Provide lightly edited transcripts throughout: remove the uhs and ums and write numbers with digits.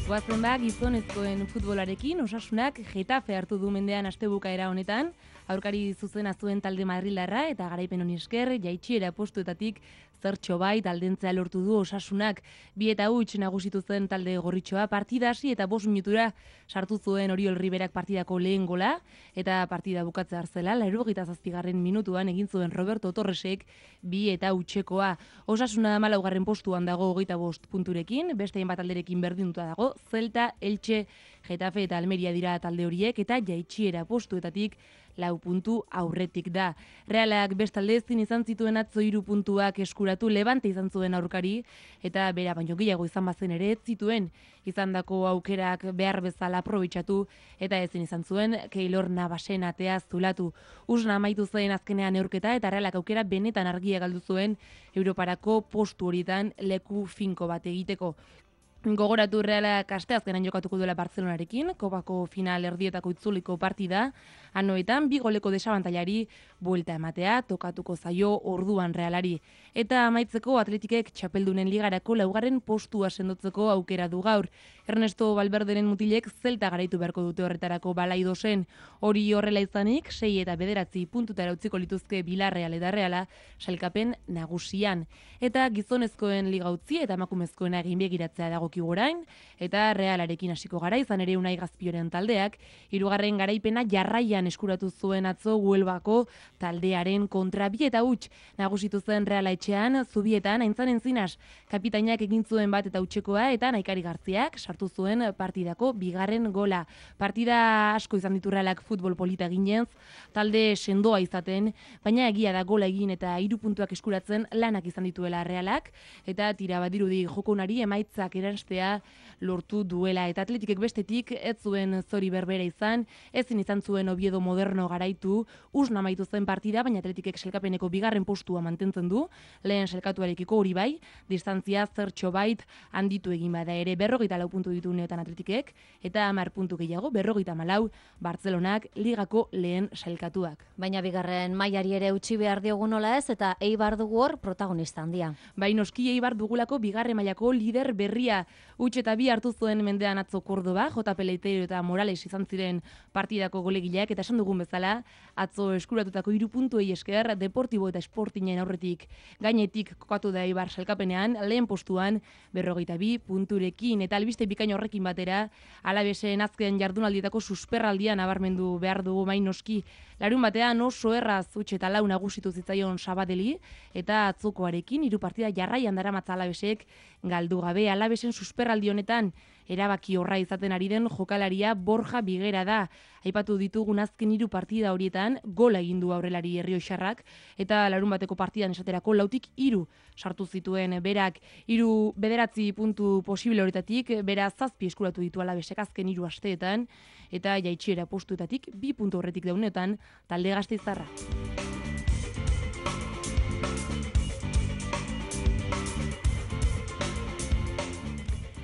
Goazen da gizonezkoen futbolarekin Osasunak Getafe hartu du mendean astebukaera honetan, aurkari zuzena zuen talde madrildarra eta garaipen honi esker jaitsiera postuetatik zertxo bait aldentzea lortu du Osasunak. 2-0 nagusitu zen talde gorritxoa, partida hasi eta 5 minutura sartu zuen Oriol Riberak partidako lehen gola eta partida bukatzea hartzela 87. minutuan egin zuen Roberto Torresek 2-0. Osasuna 14. postuan dago 25 punturekin, beste hainbat alderekin berdinduta dago. Celta, Elche, Getafe eta Almeria dira talde horiek eta jaitsiera postuetatik 4 puntu aurretik da. Realak bestalde ezin izan zituen atzo 3 puntuak eskuratu, Levante izan zuen aurkari eta bera baino gehiago izan bazen ere ez zituen izandako aukerak behar bezala aprobetxatu eta ezin izan zuen Keylor Navasen atea zulatu. Usna amaitu zen azkenean neurketa eta Realak aukera benetan argia galdu zuen Europarako postu horietan leku finko bat egiteko. Gogoratu Realak asteazkenan jokatuko duela Barcelonarekin, kopako final erdietako itzuliko partida, anoetan 2 goleko desabantailari buelta ematea tokatuko zaio orduan Realari. Eta amaitzeko Atletikek txapeldunen ligarako 4. postua sendotzeko aukera du gaur. Ernesto Valverderen mutilek Celta garaitu beharko dute horretarako Balaidosen. Hori horrela izanik, 6 eta 9 puntutara utziko lituzke Villarreal eta Reala sailkapen nagusian. Eta gizonezkoen liga utzi eta emakumezkoena egin begiratzea dagokigu orain, eta Realarekin hasiko gara, izan ere Unai Gazpioren taldeak 3. garaipena jarraian eskuratu zuen atzo Huelvako taldearen kontra 2-0 nagusitu zen Reala etxean, Zubietan Aintzan Encinas kapitainak egin zuen bat eta hutsekoa eta Naikari Gartziak sartu zuen partidako 2. gola. Partida asko izan ditu Realak futbol polita ginez, talde sendoa izaten, baina egia da gola egin eta 3 puntuak eskuratzen lanak izan dituela Realak, eta tira badirudi jokonari emaitzak eranstea lortu duela. Eta Atletikek bestetik ez zuen zori berbera izan, ezin izan zuen Oviedo Moderno garaitu, usna amaitu zen partida, baina Atletikek sailkapeneko 2. postua mantentzen du, lehen sailkatuarekiko hori bai, distantzia zertxo bait handitu egin bada ere 44 puntu ditu uneotan Atletikek, eta 10 puntu gehiago 54 Bartzelonak ligako lehen sailkatuak. Baina bigarren mailari ere utzi behar diogu nola ez, eta Eibar dugu hor protagonista handia. Bai, noski Eibar dugulako 2. mailako lider berria, huts eta 2 hartu zuen mendean atzo Kordoba, JP Leitero eta Morales izan ziren partidako golegileak, eta esan dugun bezala, atzo eskuratutako 3 puntuei esker Deportibo eta Sportingen aurretik gainetik kokatu da Eibar sailkapenean, lehen postuan 42 punturekin, eta albiste bikain horrekin batera, Alavesen azken jardunaldietako susperraldia nabarmendu behar dugu bai noski. Larun batean oso erraz huts eta 4 nagusitu zitzaion Sabadeli, eta atzokoarekin 3 partida jarraian daramatza Alavesek galdu gabe. Alavesen susperraldi honetan erabaki horra izaten ari den jokalaria Borja Bigera da. Aipatu ditugun azken 3 partida horietan gola egin du aurrelari Errioxarrak, eta larun bateko partidan esaterako 4-3 sartu zituen berak. 9 puntu posible horetatik, bera 7 eskuratu ditu Alavesek azken 3 asteetan, eta jaitsiera postuetatik 2 puntu horretik daunetan talde gasteiztarra.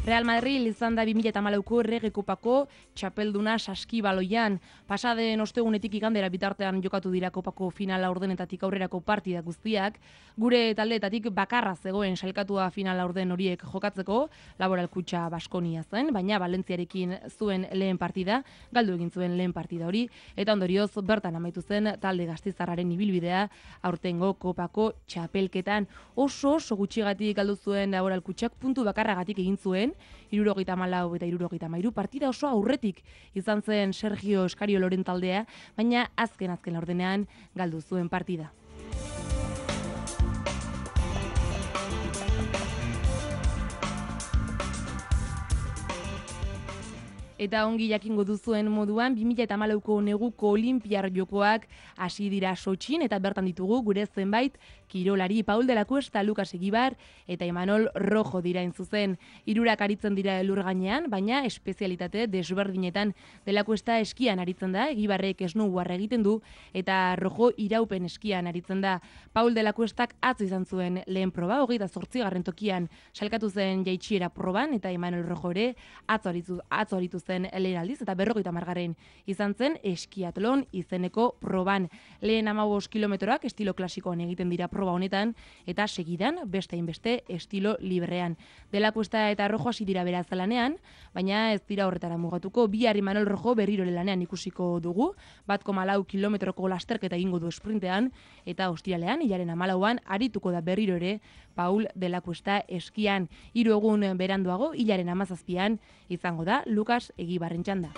Real Madrid izan da 2014ko Errege Kopako txapelduna Saskibaloian. Pasaden ostegunetik igandera bitartean jokatu dira Kopako finala ordenetatik aurrerako partida guztiak. Gure taldeetatik bakarra zegoen sailkatua finala orden horiek jokatzeko, Laboral Kutxa Baskonia zen, baina Valentziarekin zuen lehen partida, galdu egin zuen lehen partida hori, eta ondorioz bertan amaitu zen talde gasteiztarraren ibilbidea aurtengo Kopako txapelketan. Oso gutxigatik galdu zuen Laboral Kutxak, puntu bakarragatik egin zuen, 74 eta 73 partida oso aurretik izan zen Sergio Eskarioloren taldea, baina azken laurdenean galdu zuen partida. Eta ongi jakingo duzuen moduan, 2014ko neguko Olinpiar Jokoak hasi dira Sotxin, eta bertan ditugu gure zenbait kirolari. Paul de la Cuesta, Lucas Egibar eta Imanol Rojo dira zuzen. 3 aritzen dira elur gainean, baina espezialitate desberdinetan. De la Cuesta eskian aritzen da, Egibarrek snowboard egiten du, eta Rojo iraupen eskian aritzen da. Paul de la Cuestak atzo izan zuen lehen proba, 28. tokian salkatu zen jaitsiera proban, eta Imanol Rojo ere atzo aritu zen zen lehen aldiz, eta 50. izan zen eskiatlon izeneko proban. Lehen 15 kilometroak estilo klasikoan egiten dira proba honetan, eta segidan beste hainbeste estilo librean. Dela Cuesta eta Rojo hasi dira beraz lanean, baina ez dira horretara mugatuko. Bihar Imanol Rojo berriro lanean ikusiko dugu, 1,4 kilometroko lasterketa egingo du sprintean, eta ostiralean, hilaren 14an, arituko da berriro ere Paul Dela Cuesta eskian. 3 egun beranduago, hilaren 17an, izango da Lukas Egibarren txanda.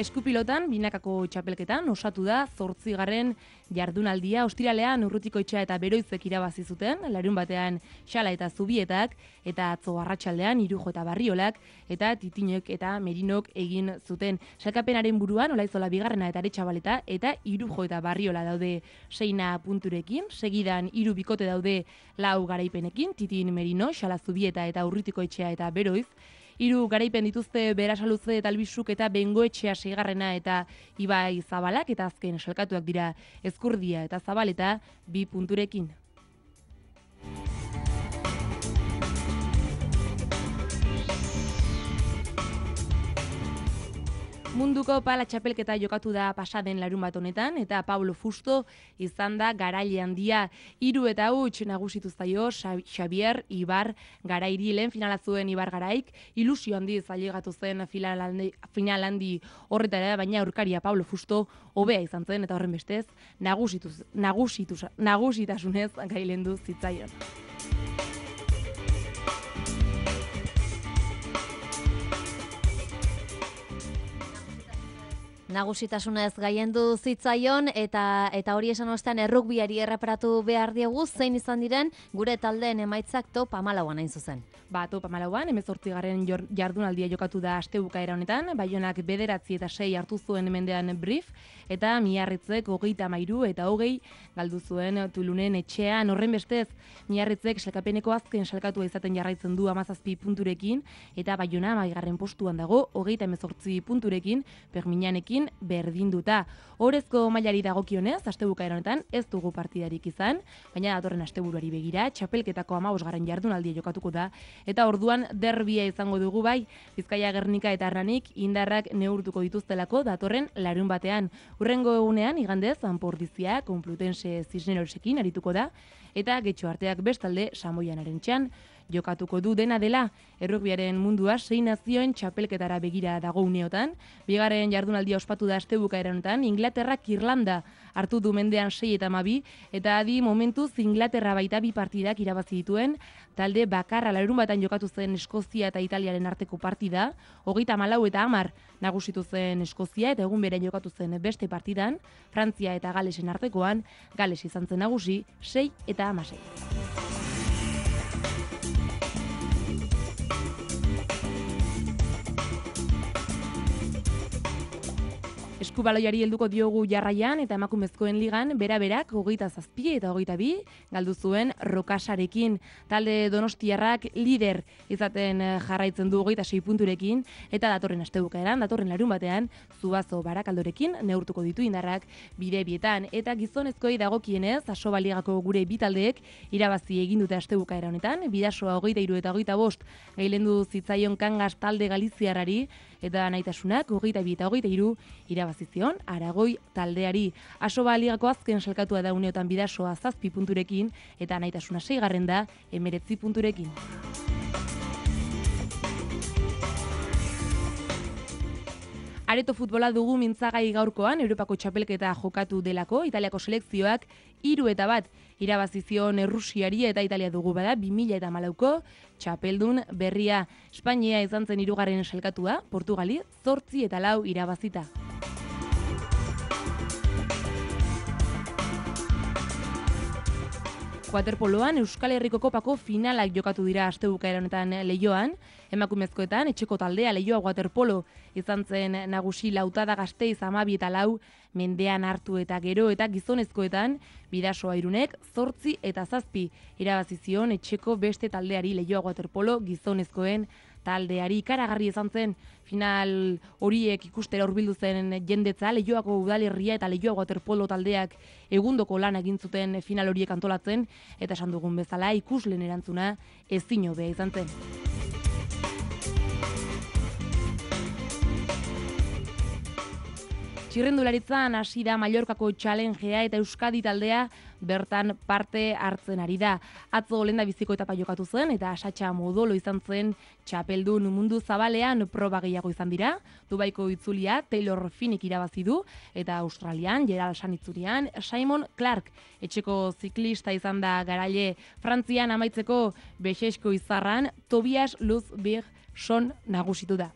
Eskupilotan, binakako txapelketan, osatu da 8. jardunaldia. Ostiralean Urrutikoetxea eta Beroizek irabazi zuten, larunbatean Xala eta Zubietak, eta atzo arratsaldean Irujo eta Barriolak, eta Titinok eta Merinok egin zuten. Sailkapenaren buruan Olaizola 2. eta Aretxabaleta, eta Irujo eta Barriola daude 6 punturekin, segidan 3 bikote daude 4 garaipenekin, Titin, Merino, Xala, Zubieta eta Urrutikoetxea eta Beroiz. 3 garaipen dituzte Berasaluze eta Albizuk eta Bengoetxea 6. eta Ibai Zabalak, eta azken salkatuak dira Ezkurdia eta Zabaleta 2 punturekin. Munduko pala txapelketa jokatu da pasaden larunbat honetan, eta Pablo Fusto izan da garaile handia. 3 eta huts nagusitu zaio Xavier Ibar Garairi. Lehen finala zuen Ibar Garaik, ilusio handiz ailegatu zen final handi horretara, baina aurkaria Pablo Fusto hobea izan zen, eta horren bestez nagusitasunez gailendu zitzaion. Nagusitasunez gailendu zitzaion, eta hori esan ostean errugbiari erreparatu behar diegu, zein izan diren gure taldeen emaitzak top 14an hain zuzen. Top 14an, 18. jardunaldia jokatu da astebukaera honetan, Baionak 9 eta 6 hartu zuen mendean Brief, eta Miarritzek 33 eta 20 galdu zuen Tulunen etxean. Horren bestez, Miarritzek sailkapeneko azken salkatua izaten jarraitzen du 17 punturekin, eta Baiona 10. postuan dago 38 punturekin, Perminanekin berdinduta. Orezko mailari dagokionez, astebukaera honetan ez dugu partidarik izan, baina datorren asteburuari begira, txapelketako 15. jardunaldia jokatuko da, eta orduan derbia izango dugu bai, Bizkaia, Gernika eta Arranik indarrak neurtuko dituztelako datorren larun batean. Hurrengo egunean, igandez, Anpordizia, Complutense Cisnerosekin arituko da, eta Getxo Arteak bestalde Samoianaren txan jokatuko du. Dena dela, errugbiaren mundua 6 nazioen txapelketara begira dago uneotan. 2. jardunaldia ospatu da astebukaera honetan, Inglaterrak Irlanda hartu du mendean 6 eta 12, eta adi momentuz Inglaterra baita 2 partidak irabazi dituen, talde bakarra larunbatan jokatu zen Eskozia eta Italiaren arteko partida, 34 eta 10 nagusitu zen Eskozia, eta egun berean jokatu zen beste partidan, Frantzia eta Galesen artekoan, Gales izan zen nagusi 6 eta 16. Eskubaloiari helduko diogu jarraian, eta emakumezkoen ligan bera-berak 27 eta 22 galdu zuen Rokasarekin. Talde Donostiarrak lider izaten jarraitzen du 26 punturekin, eta datorren astebukaeran, datorren larun batean, Zubazo Barakaldorekin neurtuko ditu indarrak bide-bietan. Eta gizonezkoei dagokienez, Asobaligako gure bi taldeek irabazi egin dute astebukaera honetan, Bidasoa 23 eta 25 gailendu zitzaion Kangas talde Galiziarrari, eta Naitasunak 22 eta 23 irabazizion Aragoi taldeari. Asoba ligako azken salkatua da uneotan Bidasoa 7 punturekin, eta Naitasuna 6. da 19 punturekin. Areto futbola dugu mintzagai gaurkoan, Europako txapelketa jokatu delako, Italiako selekzioak 3 eta 1 irabazizion Errusiari, eta Italia dugu bada 2014ko txapeldun berria. Espainia izan zen 3. salkatua, Portugali 8 eta 4 irabazita. Waterpoloan Euskal Herriko Kopako finalak jokatu dira astebukaera honetan Leioan. Emakumezkoetan etxeko taldea Leioa Waterpolo izan zen nagusi, Lautada Gasteiz 12 eta 4 mendean hartu eta gero, eta gizonezkoetan Bidasoa Irunek 8 eta 7 irabazizion etxeko beste taldeari Leioa Waterpolo gizonezkoen taldeari. Ikaragarri izan zen final horiek ikustera hurbildu zen jendetza, Leioako udalerria eta Leioako waterpolo taldeak egundoko lan egin zuten final horiek antolatzen, eta esan dugun bezala ikusleen erantzuna ezin hobea izan zen. Txirrendularitzan hasi da Mallorcako Challengea eta Euskadi taldea bertan parte hartzen ari da. Atzo lehendabiziko etapa jokatu zen eta Satxa Modolo izan zen txapeldun mundu zabalean proba gehiago izan dira. Dubaiko itzulia Taylor Finnick irabazi du eta Australian Gerald Sanitzurian Simon Clark etxeko ziklista izan da garaile. Frantzian amaitzeko Bexesko izarran Tobias Luzbig son nagusitu da.